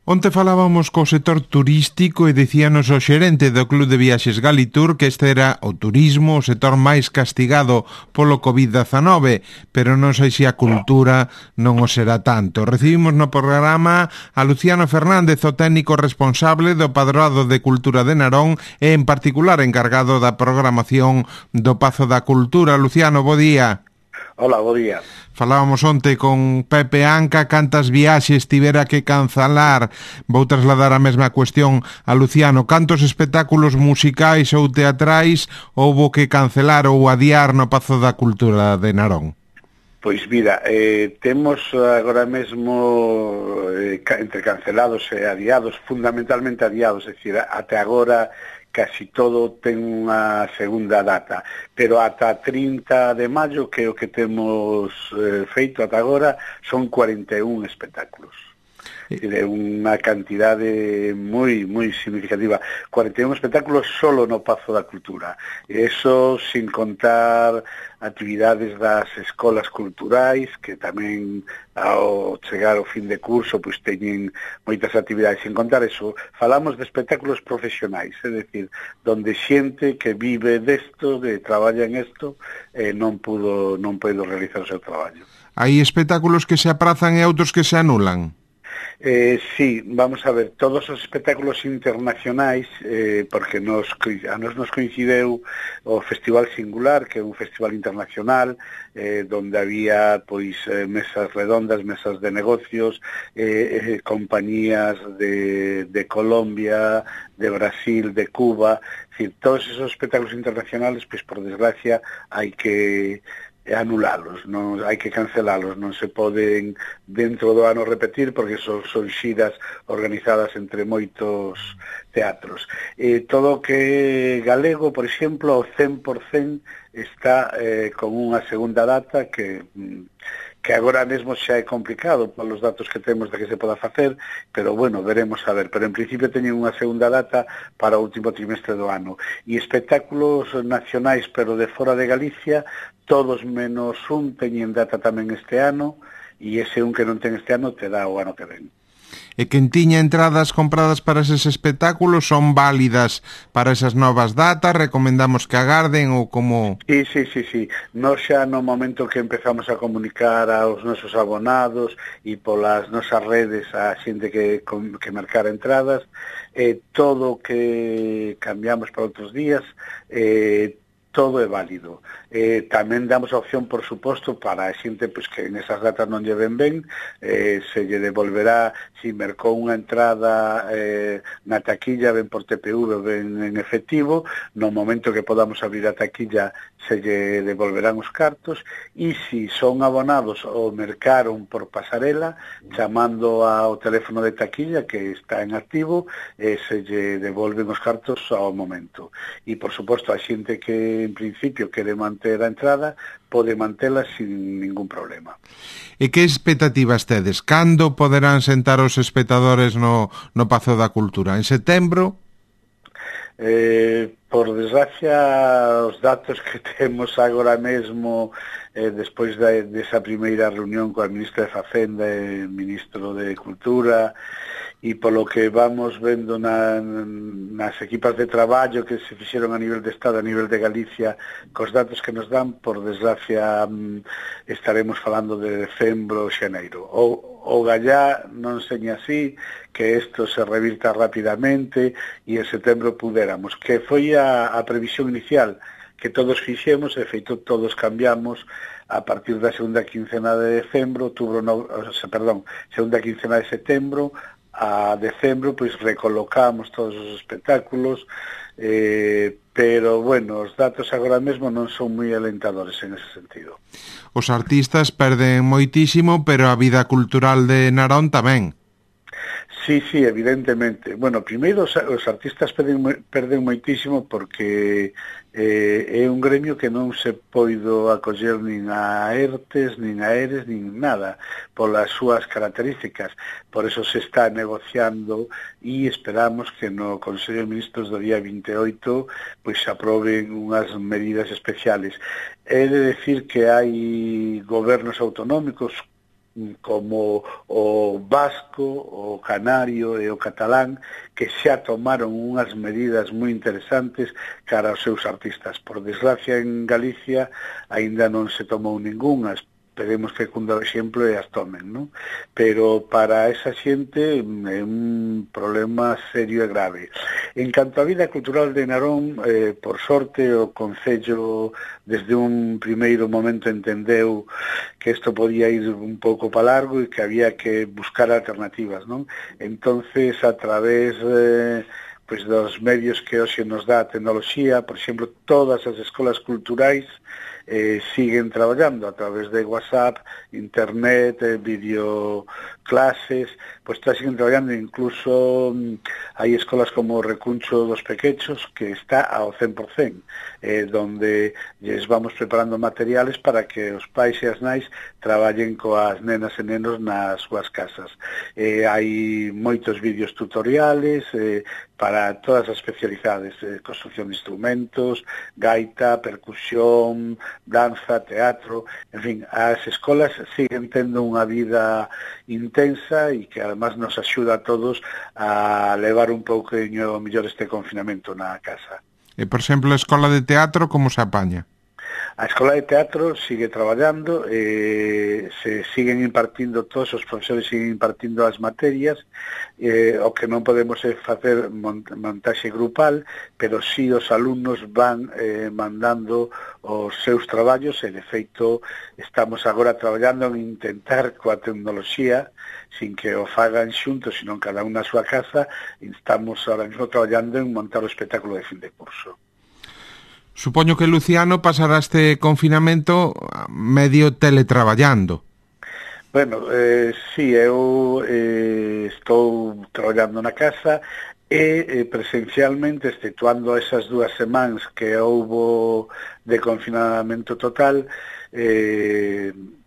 Onte falábamos co sector turístico e dicíanos o xerente do Club de Viaxes Galitur que este era o turismo, o sector máis castigado polo COVID-19, pero non sei se a cultura non o será tanto. Recibimos no programa a Luciano Fernández, o técnico responsable do Padroado de Cultura de Narón e en particular encargado da programación do Pazo da Cultura. Luciano, bo día. Hola, bo día. Falábamos onte con Pepe Anca cantas viaxes tivera que cancelar. Vou trasladar a mesma cuestión a Luciano. Cantos espectáculos musicais ou teatrais houbo que cancelar ou adiar no Pazo da Cultura de Narón? Pois mira, temos agora mesmo entre cancelados e adiados, fundamentalmente adiados, é dicir, até agora casi todo ten unha segunda data, pero ata 30 de maio, que é o que temos feito ata agora, son 41 espectáculos. É unha cantidade moi significativa. 41 espectáculos solo no Pazo da Cultura. Eso sin contar actividades das escolas culturais, que tamén ao chegar ao fin de curso pois teñen moitas actividades. Sin contar eso, falamos de espectáculos profesionais, é dicir, donde xente que vive desto, que traballa en isto, non puido realizar o seu traballo. Hai espectáculos que se aprazan e outros que se anulan? Sí, vamos a ver, todos os espectáculos internacionais, porque a nos coincideu o Festival Singular, que é un festival internacional, donde había pois mesas redondas, mesas de negocios, compañías de Colombia, de Brasil, de Cuba, es decir, todos esos espectáculos internacionales, pois por desgracia hai que anulalos, non hai que cancelalos, non se poden dentro do ano repetir porque son xiras organizadas entre moitos teatros. Todo o que galego, por exemplo, o 100% está con unha segunda data que agora mesmo xa é complicado polos datos que temos de que se poda facer, pero bueno, veremos a ver. Pero en principio teñen unha segunda data para o último trimestre do ano. E espectáculos nacionais, pero de fora de Galicia, todos menos un teñen data tamén este ano, e ese un que non ten este ano te dá o ano que ven. E quen tiña entradas compradas para eses espectáculos son válidas para esas novas datas? Recomendamos que agarden ou como... Sí. Nos xa no momento que empezamos a comunicar aos nosos abonados e polas nosas redes a xente que marcara entradas, todo o que cambiamos para outros días, todo é válido. Tamén damos a opción, por suposto, para a xente pois, que en esas datas non lle ven ben, se lle devolverá, se mercou unha entrada na taquilla, ben por TPV, ben en efectivo, no momento que podamos abrir a taquilla se lle devolverán os cartos, e se son abonados ou mercaron por pasarela, chamando ao teléfono de taquilla que está en activo, se lle devolven os cartos ao momento. E, por suposto, a xente que en principio quere manter a entrada, pode mantela sin ningún problema. E que expectativas tedes? Cando poderán sentar os espectadores no Pazo da Cultura? En setembro? Por desgracia, os datos que temos agora mesmo, despois desa primeira reunión coa ministra de Facenda e ministro de Cultura, e polo que vamos vendo nas equipas de traballo que se fixeron a nivel de Estado, a nivel de Galicia, cos datos que nos dan, por desgracia estaremos falando de decembro ou xaneiro. O gallá non seña así, que isto se revirta rapidamente e en setembro pudéramos, que foi a previsión inicial que todos fixemos, e feito todos cambiamos a partir da segunda quincena de decembro, segunda quincena de setembro, a decembro, pois recolocamos todos os espectáculos, pero, bueno, os datos agora mesmo non son moi alentadores en ese sentido. Os artistas perden moitísimo, pero a vida cultural de Narón tamén. Sí, evidentemente. Bueno, primeiro os artistas perden moitísimo porque é un gremio que non se poido acoller nin a ERTES, nin a ERES, nin nada, polas súas características. Por eso se está negociando e esperamos que no Consello de Ministros do día 28 pois se aproben unhas medidas especiales. É de decir que hai gobernos autonómicos como o vasco, o canario e o catalán, que xa tomaron unhas medidas moi interesantes cara aos seus artistas. Por desgracia, en Galicia aínda non se tomou ningunha. Esperemos que cunda o exemplo e as tomen, non? Pero para esa xente é un problema serio e grave. En canto á vida cultural de Narón, por sorte, o Concello desde un primeiro momento entendeu que isto podía ir un pouco para largo e que había que buscar alternativas, non? Entonces, a través pois dos medios que hoxe nos dá a tecnoloxía, por exemplo, todas as escolas culturais siguen traballando a través de WhatsApp, internet, videoclases, pois siguen traballando, incluso hai escolas como o Recuncho dos Pequechos, que está ao 100%, donde lles vamos preparando materiales para que os pais e as nais traballen coas nenas e nenos nas súas casas. Hai moitos vídeos tutoriales para todas as especialidades, construcción de instrumentos, gaita, percusión, danza, teatro, en fin, as escolas siguen tendo unha vida intensa e que además nos axuda a todos a levar un pouquinho mellor este confinamento na casa. E, por exemplo, a escola de teatro, como se apaña? A escola de teatro sigue traballando, se siguen impartindo, todos os profesores siguen impartindo as materias, o que non podemos é facer montaxe grupal, pero sí os alumnos van mandando os seus traballos e, de feito, estamos agora traballando en intentar coa tecnoloxía, sin que o fagan xuntos, sino cada un na súa casa, estamos ahora mesmo traballando en montar o espectáculo de fin de curso. Supoño que Luciano pasará este confinamento medio teletraballando. Bueno, sí, eu estou traballando na casa e presencialmente, exceptuando esas 2 semanas que houbo de confinamento total,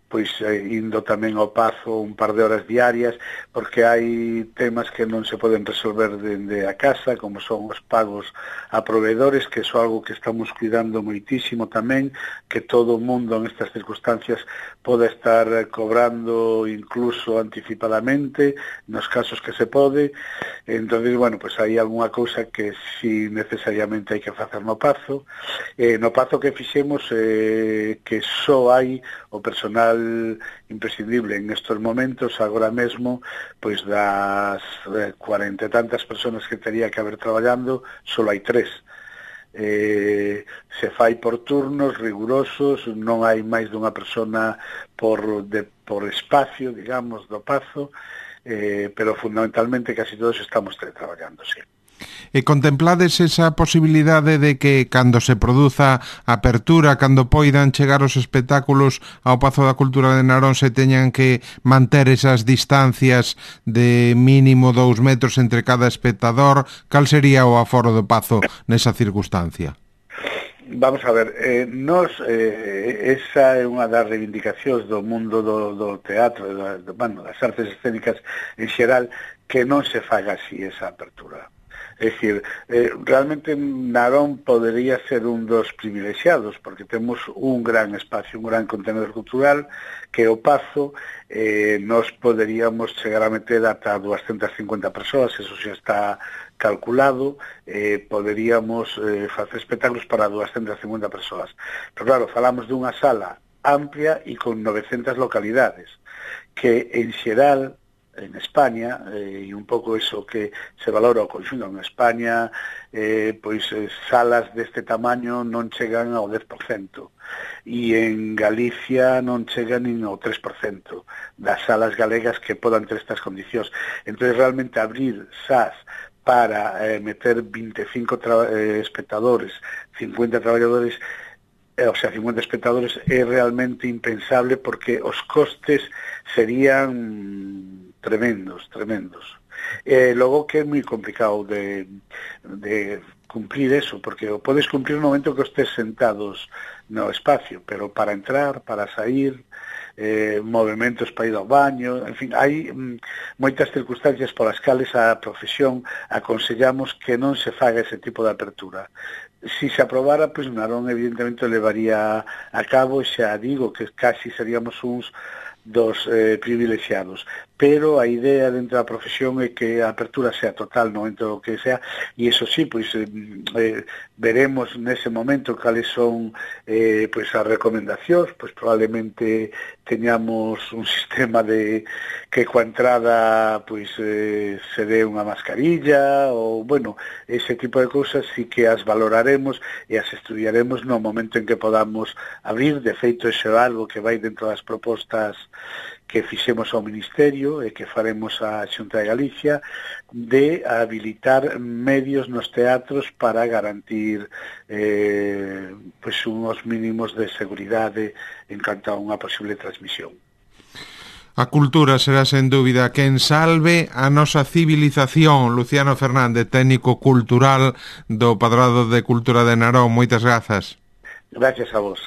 pois indo tamén ao Pazo un par de horas diarias, porque hai temas que non se poden resolver dende a casa, como son os pagos a proveedores, que é algo que estamos cuidando moitísimo tamén, que todo o mundo en estas circunstancias pode estar cobrando incluso anticipadamente, nos casos que se pode. Entonces, bueno, pues hai algunha cousa que si necesariamente hai que facer no Pazo. No Pazo que fixemos, que só hai o personal imprescindible en estos momentos, agora mesmo, pois das 40 e tantas personas que tería que haber traballando, só hai 3. Se fai por turnos rigurosos, non hai máis dunha persona por espacio, digamos, do Pazo, pero fundamentalmente casi todos estamos teletraballando, sí. E contemplades esa posibilidade de que cando se produza a apertura, cando poidan chegar os espectáculos ao Pazo da Cultura de Narón, se teñan que manter esas distancias de mínimo 2 metros entre cada espectador? Cal sería o aforo do Pazo nesa circunstancia? Vamos a ver, esa é unha das reivindicacións do mundo do teatro, das artes escénicas en xeral, que non se faga así esa apertura. É dicir, realmente Narón podería ser un dos privilexiados, porque temos un gran espacio, un gran contenedor cultural, que o Pazo nos poderíamos chegar a meter ata 250 persoas, eso xa está calculado, poderíamos facer espectáculos para 250 persoas. Pero claro, falamos dunha sala amplia e con 900 localidades, que en xeral en España, e un pouco eso que se valora o conxunto en España, pois salas deste tamaño non chegan ao 10%, e en Galicia non chegan nin ao 3% das salas galegas que podan ter estas condicións. Entón, realmente abrir SAS para meter 25 espectadores, 50 traballadores, o sea, 50 espectadores, é realmente impensable, porque os costes serían tremendos. Logo que é moi complicado de cumplir eso, porque o podes cumplir no momento que estés sentados no espacio, pero para entrar, para sair, movimentos para ir ao baño, en fin, hai moitas circunstancias polas cales a profesión aconsellamos que non se faga ese tipo de apertura. Si se aprobara, pois Narón evidentemente levaría a cabo, xa digo que casi seríamos uns dos privilexiados, pero a idea dentro da profesión é que a apertura sea total no momento que sea, e iso sí, pois veremos nese momento cales son pois as recomendacións, pois probablemente teñamos un sistema de que coa entrada pois se dé unha mascarilla ou, bueno, ese tipo de cousas sí que as valoraremos e as estudiaremos no momento en que podamos abrir. De feito, iso é algo que vai dentro das propostas que fixemos ao Ministerio e que faremos a Xunta de Galicia, de habilitar medios nos teatros para garantir pois unhos mínimos de seguridade en canto a unha posible transmisión. A cultura será sen dúbida quen salve a nosa civilización. Luciano Fernández, técnico cultural do Padrado de Cultura de Narón. Moitas grazas. Gracias a vos.